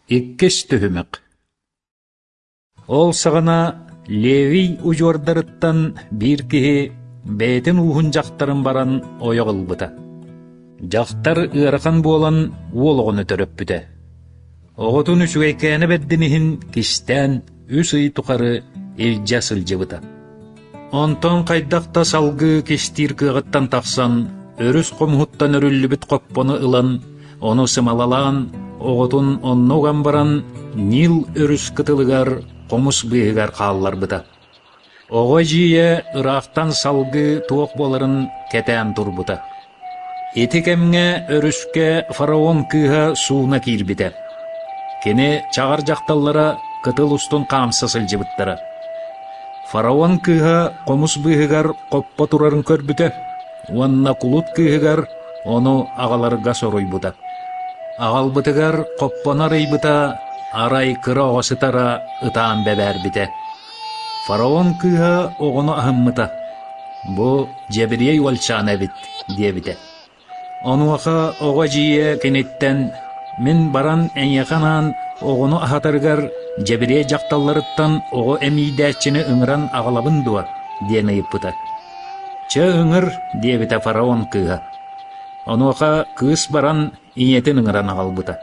Иккис түһүмэх Ол саҕана Левий удьуордарыттан биир киһи бэйэтин ууһун дьахтарын баран ойох ылбыта. Дьахтар ыарахан буолан уол оҕону төрөппүтэ. Оҕотун үчүгэйкээнэ бэрдин иһин кистээн үс ый тухары илдьэ сылдьыбыта. Онтон хайдах да салгыы кистиир кыаҕыттан тахсан, өрүс хомуһуттан өрүллүбүт хоппону ылан, ону сымалалаан, оҕотун онно уган баран, Нил өрүс кытылыгар хомус быыһыгар хаалларбыта. Оҕо эдьиийэ ыраахтан салгыы туох буоларын кэтээн турбута. Ити кэмҥэ өрүскэ фараон кыыһа сууна киирбитэ. Кини чаҕар дьахталлара кытыл устун хаамса сылдьыбыттара. Фараон кыыһа хомус быыһыгар хоппо турарын көрбүтэ уонна кулут кыыһыгар ону аҕаларга соруйбута. Аҕалбытыгар хоппону арыйбыта, арай кыра оҕо сытара ытаан бэбээрбитэ. Фараон кыыһа оҕону аһыммыта: «Бу дьэбириэй уолчаана эбит» диэбитэ. Онуоха оҕо эдьиийэ киниттэн: «Мин баран эйиэхэ анаан оҕону аһатарыгар дьэбириэй дьахталларыттан оҕо эмиийдээччини ыҥыран аҕалабын дуо?» диэн ыйыппыта. «Чэ, ыҥыр» диэбитэ фараон кыыһа. Онуоха кыыс баран ийэтин ыҥыран аҕалбыта.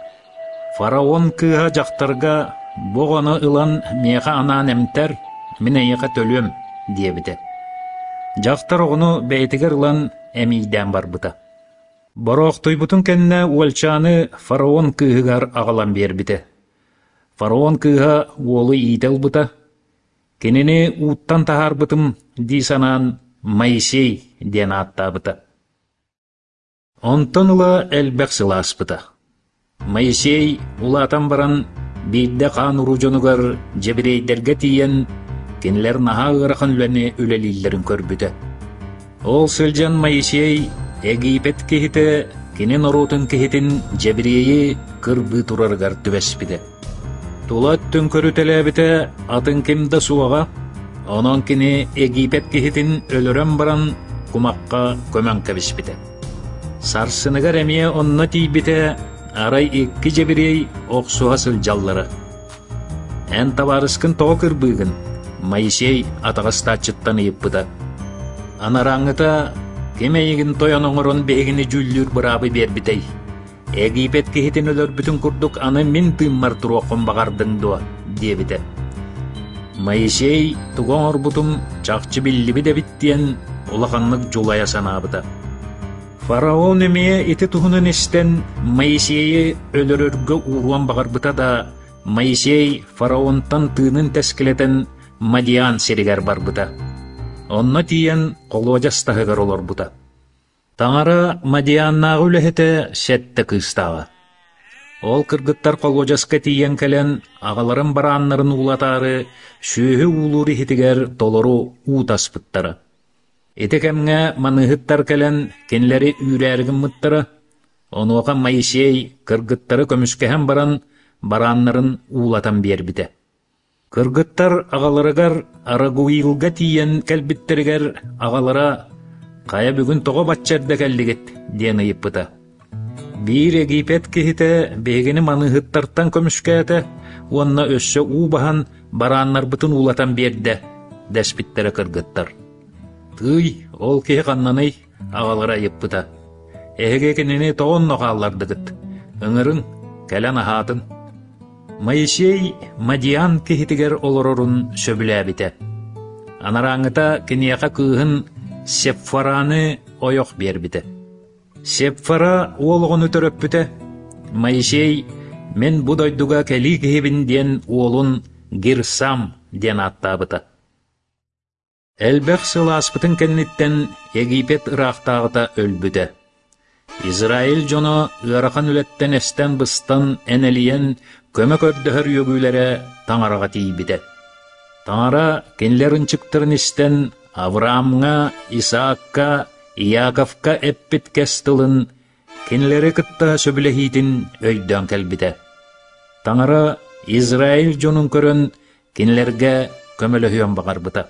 Фараон кыыһа дьахтарга: «Бу оҕону ылан миэхэ анаан эмтэр, мин эйиэхэ төлүөм» диэбитэ. Дьахтар оҕону бэйэтигэр ылан эмиийдээн барбыта. Бороохтуйбутун кэннэ уолчааны фараон кыыһыгар аҕалан биэрбитэ. Фараон кыыһа уолу иитэ ылбыта. Кинини ууттан таһаарбытым дии санаан Моисей диэн ааттаабыта. Онтон ыла элбэх сыл ааспыта. Моисей улаатан баран биирдэ хаан уруу дьонугар дьэбириэйдэргэ тиийэн, кинилэр наһаа ыарахан үлэни үлэлииллэрин көрбүтэ. Ол сылдьан Моисей Египет киһитэ кини норуотун киһитин дьэбириэйи кырбыы турарыгар түбэспитэ. Тула өттүн көрүтэлээбитэ атын ким да суоҕа, онон кини Египет киһитин өлөрөн баран кумахха көмөн кэбиспитэ. Сарсыныгар эмиэ онно тиийбитэ, арай икки дьэбириэй охсуһа сылдьаллара. «Эн табаарыскын тоҕо кырбыыгын?» Моисей атаҕастааччыттан ыйыппыта. Анарааҥҥыта «Ким эйигин тойон оҥорон биһигини дьүүллүүр быраабы биэрбитэй? Египет киһитин өлөрбүтүн курдук аны мин тыыммар туруоххун баҕардыҥ дуо?» диэбитэ. Моисей тугу оҥорбутум чахчы биллибит эбит диэн улаханнык дьулайа санаабыта. Фараон эмиэ ити туһунан истэн Моисейы өлөрөргө ууруон баҕарбыта да, Моисей фараонтан тыынын тэскилэтэн Мадиан сиригэр барбыта. Онно тиийэн холуодьас таһыгар олорбута. Таҥара Мадианнааҕы үлэһитэ сэттэ кыыстааҕа. Ол кыргыттар холуодьаска тиийэн кэлэн, аҕаларын барааннарын уулатаары, сүөһү уулуур иһитигэр толору уу таспыттара. Ити кэмҥэ маныыһыттар кэлэн кинилэри үүрээри гыммыттара, онуоха Моисей кыргыттары көмүскэһэн баран, барааннарын уулатан биэрбитэ. Кыргыттар аҕаларыгар Арагуилга тиийэн кэлбиттэригэр аҕалара «Хайа бүгүн тоҕо бачча эрдэ кэллигит?» диэн ыйыппыта. Биир Египет киһитэ биһигини маныыһыттартан көмүскээтэ уонна өссө уу баһан барааннарбытын уулатан биэрдэ, дэспиттэрэ кыргыттар. Тыый, ол киһи ханнаный? аҕалара ыйыппыта. Эһиги кинини тоҕо онно хааллардыгыт? Ыҥырыҥ, кэлэн аһаатын. Моисей Мадиан киһитигэр олорорун сөбүлээбитэ. Анарааҥҥыта киниэхэ кыыһын Сепфораны ойох биэрбитэ. Сепфора уол оҕону төрөппүтэ. Моисей «Мин бу дойдуга кэлии киһибин» диэн уолун Гирсам диэн ааттаабыта. Элбэх сыл ааспытын кэнниттэн Египет ыраахтааҕыта өлбүтэ. Израиль дьоно ыарахан үлэттэн эстэн-быстан, энэлийэн, көмө көрдөһөр үөгүүлэрэ Таҥараҕа тиийбитэ. Таҥара кинилэр ынчыктарын истэн, Авраамҥа, Исаакка, Иаковка эппит кэс тылын кинилэри кытта сөбүлэһиитин өйдөөн кэлбитэ. Таҥара Израиль дьонун көрөн, кинилэргэ көмөлөһүөн баҕарбыта.